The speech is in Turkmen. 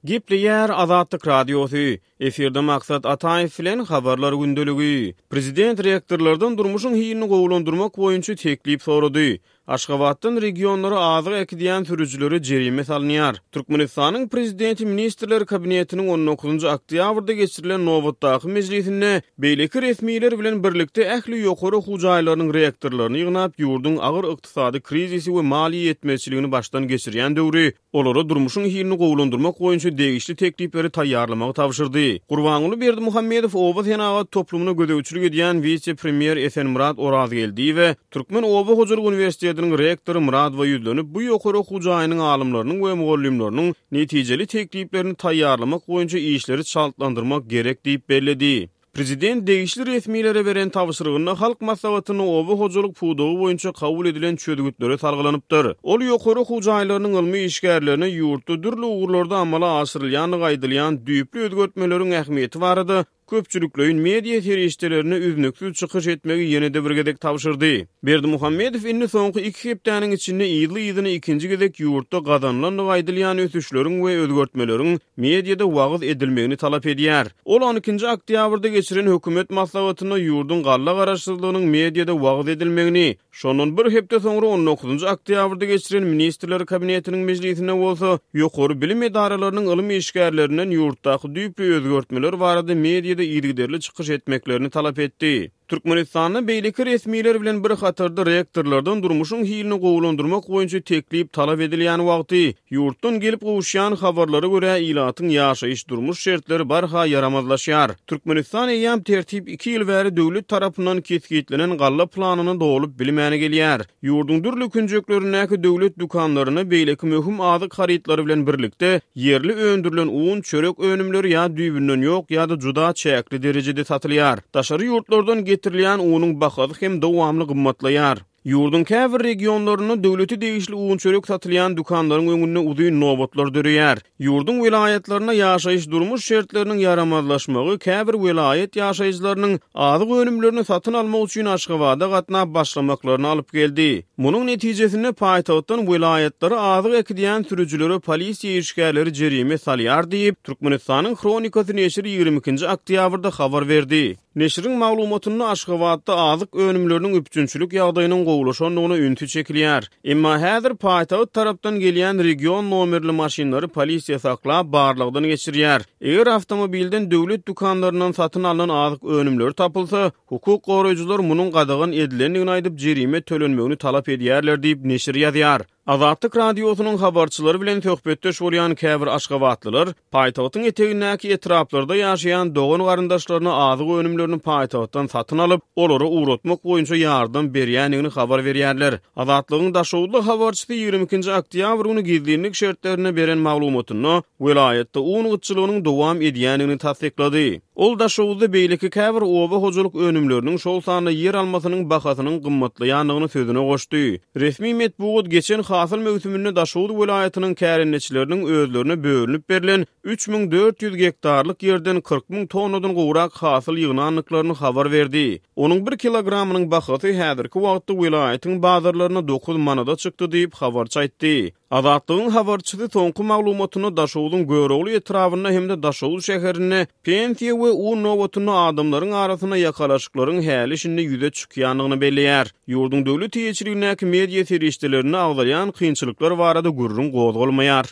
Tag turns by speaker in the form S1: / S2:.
S1: Gepleýär Azatlyk Radiosy, Efirde Maksat Ataýew bilen Habarlar gündeligi. Prezident rektorlardan durmuşyň hilini gowulandyrmak boýunça teklip sorady. Aşgabatdan regionlara azyk äkidýän sürüjilere jerime salynýar. Türkmenistanyň Prezidenti Ministrler Kabinetiniň on dokuzynjy oktýabrda geçirilen nobatdaky mejlisinde beýleki resmiler bilen birlikde ähli ýokary okuw jaýlarynyň rektorlaryny ýygnap, ýurduň agyr ykdysady krizisi we maliýe ýetmezçiligini başdan geçirýän döwri olara durmuşyň hilini gowulandyrmak boýunça degişli teklipleri taýýarlamagy tabşyrdy. Gurbanguly Berdimuhamedow oba senagat toplumyna gözegçilik edýän wise-premýer Esenmyrat Orazgeldiýewe Türkmen oba hojalyk uniwersitetiniň rektory Myradowa ýüzlenip, bu ýokary okuw jaýynyň alymlarynyň we mugallymlarynyň netijeli tekliplerini taýýarlamak boýunça işleri çaltlandyrmak gerek diýip belledi. Prezident degişli resmilere beren tabşyrygynda Halk Maslahatynda oba hojalyk pudagy boýunça kabul edilen çözgütlere salgylanypdyr. Ol ýokary okuw jaýlarynyň ylmy işgärlerine ýurtda dürli ugurlarda amala aşyrylýandygy aýdylýan düýpli özgertmeleriň ähmiýeti barada köpçülikleýin media serişdelerinde üznüksiz çykyş etmegi ýene-de bir gezek tabşyrdy. Berdimuhamedow indi soňky iki hepdäniň içinde yzly-yzyna ikinji gezek ýurtda gazanylandygy aýdylýan ösüşleriň we özgertmeleriň mediada wagyz edilmegini talap edýär. Ol on ikinji oktýabrda geçiren hökümet maslahatynda ýurduň galla garaşsyzlygynyň mediada wagyz edilmegini, Şondan bir hepde soňra on dokuzynjy oktýabrda geçiren Ministrler Kabinetiniň mejlisinde bolsa, ýokary bilim edaralarynyň ylym işgärlerinden ýurtdaky düýpli özgertmeler barada mediada yzygiderli çykyş etmeklerini talap etdi. Türkmenistanda beýleki resmiler bilen bir hatarda rektorlardan durmuşyň hilini gowulandyrmak boýunça teklip talap edilýän wagty, Ýurtdan gelip gowuşýan habarlara görä, ilatyň ýaşaýyş-durmuş şertleri barha ýaramazlaşýar. Türkmenistan eýýäm tertip iki ýyl bäri döwlet tarapyndan kesgitlenen galla planyny dolup bilmäni gelýär. Ýurduň dürli künjeklerindäki döwlet dükanlarynda beýleki möhüm azyk harytlary bilen birlikde, ýerli öndürilen un, çörek önümleri ýa düýbünden ýok ýa-da juda çäkli derejede satylýar. Daşary ýurtlardan getirilýän unuň bahasy hem dowamly gymmatlaýar. Ýurduň käbir regionlarynda döwlete degişli un-çörek satylýan dükanlaryň öňünde uzyn nobatlar döreýär. Ýurduň welaýatlarynda ýaşaýyş-durmuş şertleriniň ýaramazlaşmagy käbir welaýat ýaşaýjylarynyň azyk önümlerini satyn almak üçin Aşgabada gatnap başlamaklaryna alyp geldi. Munuň netijesinde paýtagtdan welaýatlara azyk äkidýän sürüjilere polisiýa işgärleri jerime salýar diýip, Türkmenistanyň Hronikasy neşiri 22-nji oktýabrda habar berdi. Neşiriň maglumatynda Aşgabatda azyk önümleriniň üpjünçilik ýagdaýynyň gowulaşandygyna ünsi çekilýär. Emma häzir paýtagt tarapdan gelýän region nomerli maşynlary polisiýa saklap, barlagdan geçirýär. Eger awtomobilden döwlet dükanlaryndan satyn alnan azyk önümleri tapylsa, hukuk goraýjylar munuň gadagan edilendigini aýdyp, jerime tölenmegini talap edýärler diýip, neşir ýazýar. Azatlyk Radiosynyň habarçylary bilen söhbetdeş bolýan käbir aşgabatlylar paýtagtyň etegindäki etraplarda ýaşaýan dogan-garyndaşlaryna azyk önümlerini paýtagtdan satyn alyp, olara ugratmak boýunça ýardam berýändigini habar berýärler. Azatlygyň daşoguzly habarçysy 22 nji oktýabr güni gizlinlik şertlerinde beren maglumatynda welaýatda un gytçylygynyň dowam edýändigini tassyklady. Ol Daşoguzda beýleki käbir oba hojalyk önümleriniň, şol sanda ýer almasynyň bahasynyň gymmatlaýandygyny sözüne goşdy. Resmi metbugat geçen hasyl möwsüminde Daşoguz welaýatynyň kärendeçileriniň özlerine bölünip berlen 3400 gektarlyk ýerden 40 müň tonnadan gowrak hasyl ýygnandyklaryny habar berdi. Onuň bir kilogramynyň bahasy häzirki wagtda welaýatyň bazarlarynda dokuz manada çykdy diýip, habarçy aýtdy. Azatlygyň habarçysy soňky maglumatynda Daşogzuň Görogly etrabynda hem-de Daşoguz şäherinde pensiýa we un nobatynda adamlaryň arasynda ýakalaşyklaryň häli-şindi ýüze çykýandygyny belleýär. Ýurduň döwlet eýeçiligindäki media serişdelerinde agzalýan kynçylyklar barada gürrüň gozgalmaýar.